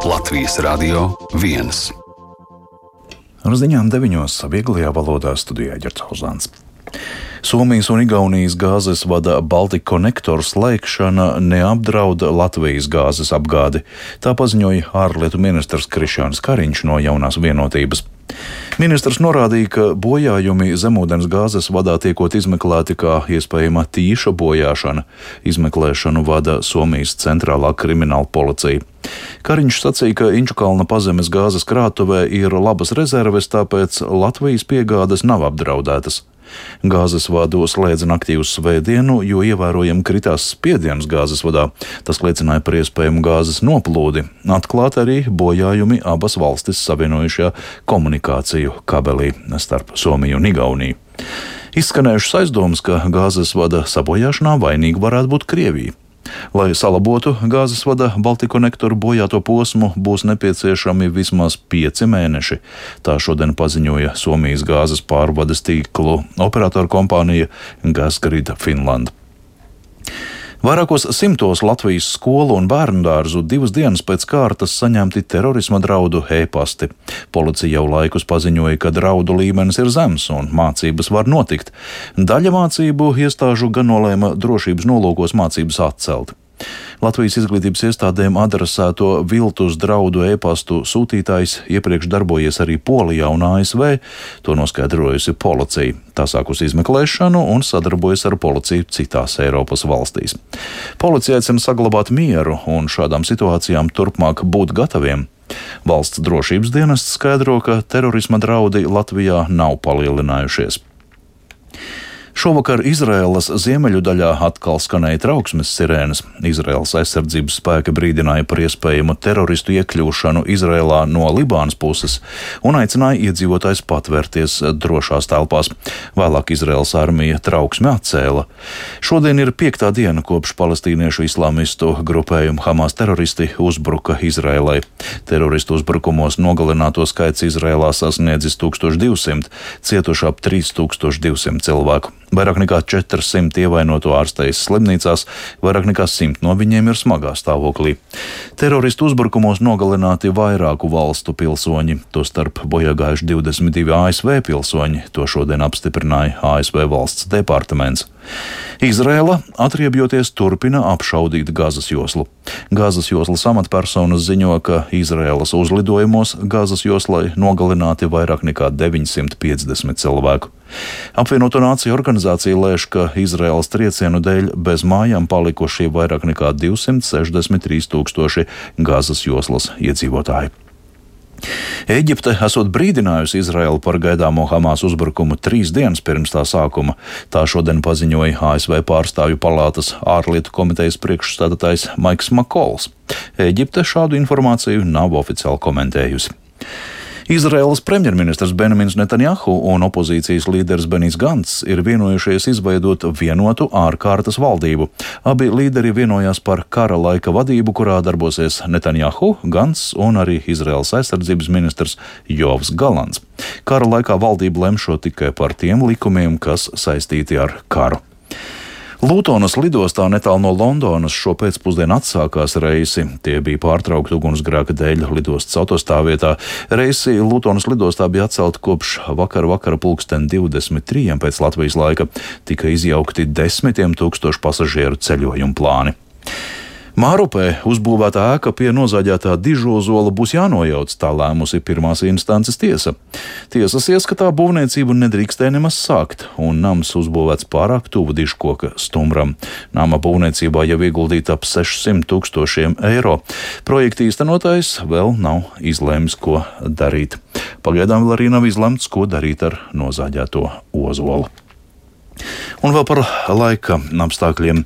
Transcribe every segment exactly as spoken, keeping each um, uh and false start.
Latvijas Radio viens. Ar ziņām deviņos vieglajā valodā studijā Ģercauzāns. Somijas un Igaunijas gāzes vada Balticconnector slēgšana neapdrauda Latvijas gāzes apgādi. Tā paziņoja ārlietu ministrs Krišjānis Kariņš no Jaunās vienotības. Ministrs norādīja, ka bojājumi zemūdens gāzes vadā tiekot izmeklēti kā iespējama tīša bojāšana. Izmeklēšanu vada Somijas centrālā krimināla policija. Kariņš sacīja, ka Inčukalna pazemes gāzes krātuvē ir labas rezerves, tāpēc Latvijas piegādes nav apdraudētas. Gāzes vadu slēdza naktī uz svētdienu, jo ievērojami kritās spiediens gāzes vadā. Tas liecināja par iespējamu gāzes noplūdi. Atklāt arī bojājumi abas valstis savienojušajā komunikāciju kabelī starp Somiju un Igauniju. Izskanējušas aizdomas, ka gāzes vada sabojāšanā vainīga varētu būt Krievija. Lai salabotu gāzes vada Balticconnector bojāto posmu, būs nepieciešami vismaz pieci mēneši. Tā šodien paziņoja Somijas gāzes pārvades tīklu operatoru kompānija Gasgrid Finland. Vairākos simtos Latvijas skolu un bērnudārzu divas dienas pēc kārtas saņemti terorisma draudu e-pasti. Policija jau laikus paziņoja, ka draudu līmenis ir zems un mācības var notikt. Daļa mācību iestāžu gan nolēma drošības nolūkos mācības atcelt. Latvijas izglītības iestādēm adresēto viltus draudu e-pastu sūtītājs iepriekš darbojies arī Polijā un A S V, to noskaidrojusi policija. Tā sākusi izmeklēšanu un sadarbojas ar policiju citās Eiropas valstīs. Policija aicina saglabāt mieru un šādām situācijām turpmāk būt gataviem. Valsts drošības dienests skaidro, ka terorisma draudi Latvijā nav palielinājušies. Šovakar Izraēlas ziemeļu daļā atkal skanēja trauksmes sirēnas. Izraēlas aizsardzības spēki brīdināja par iespējamu teroristu iekļūšanu Izraēlā no Libānas puses un aicināja iedzīvotājus patvērties drošās telpās. Vēlāk Izraēlas armija trauksmi atcēla. Šodien ir piektā diena, kopš palestīniešu islāmistu grupējumu Hamas teroristi uzbruka Izraēlai. Teroristu uzbrukumos nogalināto skaits Izraēlā sasniedzis tūkstoš divsimt, cietuši ap trīs tūkstoši divsimt cilvēku. Vairāk nekā četrsimt ievainoto ārstējas slimnīcās, vairāk nekā simt no viņiem ir smagā stāvoklī. Teroristu uzbrukumos nogalināti vairāku valstu pilsoņi, tostarp bojāgājuši divdesmit divi A S V pilsoņi, to šodien apstiprināja A S V valsts departaments. Izraēla, atriebjoties, turpina apšaudīt Gazas joslu. Gazas joslas amatpersonas ziņo, ka Izraēlas uzlidojumos Gazas joslai nogalināti vairāk nekā deviņsimt piecdesmit cilvēku. Apvienoto Nāciju organizācija lēš, ka Izraēlas triecienu dēļ bez mājām palikuši vairāk nekā divsimt sešdesmit trīs tūkstoši Gazas joslas iedzīvotāji. Ēģipte esot brīdinājusi Izraēlu par gaidāmo Hamas uzbrukumu trīs dienas pirms tā sākuma. Tā šodien paziņoja A S V pārstāvju palātas ārlietu komitejas priekšstādātājs Maiks Makols. Ēģipte šādu informāciju nav oficiāli komentējusi. Izraēlas premjerministrs Benjamins Netanjahu un opozīcijas līderis Benijs Gants ir vienojušies izveidot vienotu ārkārtas valdību. Abi līderi vienojās par kara laika vadību, kurā darbosies Netanjahu, Gants un arī Izraēlas aizsardzības ministrs Jovs Galants. Kara laikā valdība lemšo tikai par tiem likumiem, kas saistīti ar karu. Lutonas lidostā netālu no Londonas šo pēcpusdienu atsākās reisi. Tie bija pārtraukti ugunsgrēka dēļ lidostas autostāvvietā. Reisi Lutonas lidostā bija atcelti kopš vakara vakara pulksten divdesmit trījiem pēc Latvijas laika. Tika izjaukti desmitiem tūkstošu pasažieru ceļojumu plāni. Mārupē uzbūvētā ēka pie nozāģētā Dižozola būs jānojauc, tā lēmusi pirmās instances tiesa. Tiesas ieskatā būvniecību nedrīkstēja nemaz sākt, un nams uzbūvēts pārāk tuvu Dižkoka stumbram. Nama būvniecībā jau ieguldīta ap sešsimt tūkstošiem eiro. Projekta īstenotājs vēl nav izlēmis, ko darīt. Pagaidām vēl arī nav izlemts, ko darīt ar nozāģēto ozolu. Un vēl par laika apstākļiem.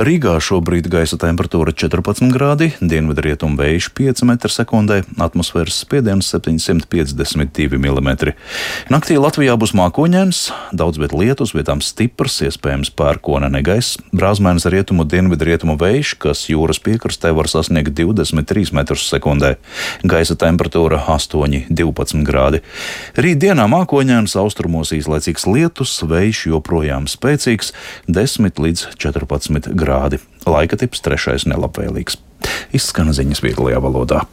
Rīgā šobrīd gaisa temperatūra četrpadsmit grādi, dienvidrietumu vējš pieci metri sekundē, atmosfēras spiediens septiņsimt piecdesmit divi milimetri. Naktī Latvijā būs mākoņains, daudz viet lietus, vietām stiprs, iespējams pērkona negaiss, brāzmainis rietumu dienvidrietumu vējš, kas jūras piekrastē var sasniegt divdesmit trīs metrus sekundē. Gaisa temperatūra astoņi divpadsmit grādi. Rīt dienā mākoņains, austrumos īslaicīgs lietus, vējš joprojām spēcīgs, desmit līdz četrpadsmit grādi. Laika tips trešais nelabvēlīgs. Izskan ziņas vieglajā valodā.